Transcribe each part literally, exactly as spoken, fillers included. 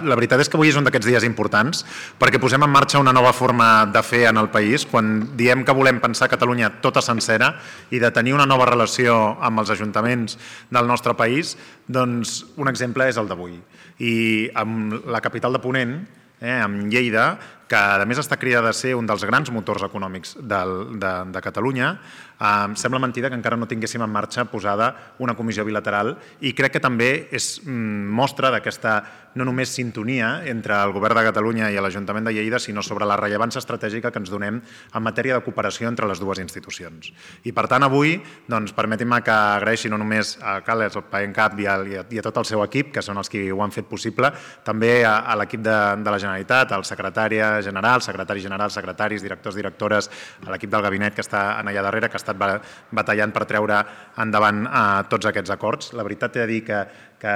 La veritat és que avui és un d'aquests dies importants perquè posem en marxa una nova forma de fer en el país. Quan diem que volem pensar Catalunya tota sencera i de tenir una nova relació amb els ajuntaments del nostre país, doncs un exemple és el d'avui. I amb la capital de Ponent, eh, amb Lleida, que a més està cridada a ser un dels grans motors econòmics del, de, de Catalunya, eh, sembla mentida que encara no tinguéssim en marxa posada una comissió bilateral i crec que també és mm, mostra d'aquesta no només sintonia entre el Govern de Catalunya i l'Ajuntament de Lleida, sinó sobre la rellevància estratègica que ens donem en matèria de cooperació entre les dues institucions. I per tant avui, doncs, permetin-me que agraeixi no només a Carles, al PAENCAP i a, i a tot el seu equip, que són els qui ho han fet possible, també a, a l'equip de, de la Generalitat, al secretari general, secretari general, secretaris, directors, directores, a l'equip del gabinet que està allà darrere, que ha estat batallant per treure endavant eh, tots aquests acords. La veritat he de dir que, que,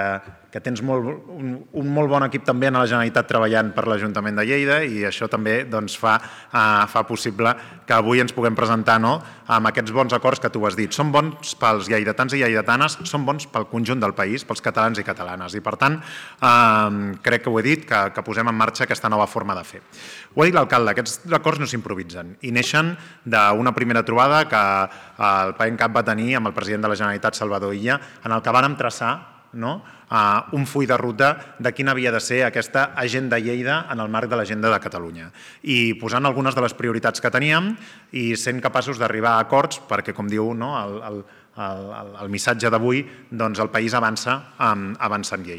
que tens molt, un, un molt bon equip també en la Generalitat treballant per l'Ajuntament de Lleida i això també doncs, fa, eh, fa possible que avui ens puguem presentar no, amb aquests bons acords que tu has dit. Són bons pels lleidatans i lleidatanes, són bons pel conjunt del país, pels catalans i catalanes. I per tant, eh, crec que ho he dit, que, que posem en marxa aquesta nova forma de fer. Ho ha dit l'alcalde, aquests acords no s'improvisen i neixen d'una primera trobada que el PAENCAP va tenir amb el president de la Generalitat, Salvador Illa, en el que vàrem traçar no? Uh, un full de ruta de quina havia de ser aquesta agenda Lleida en el marc de l'agenda de Catalunya. I posant algunes de les prioritats que teníem i sent capaços d'arribar a acords perquè, com diu no, el, el, el, el missatge d'avui, doncs el país avança, um, avança en Lleida.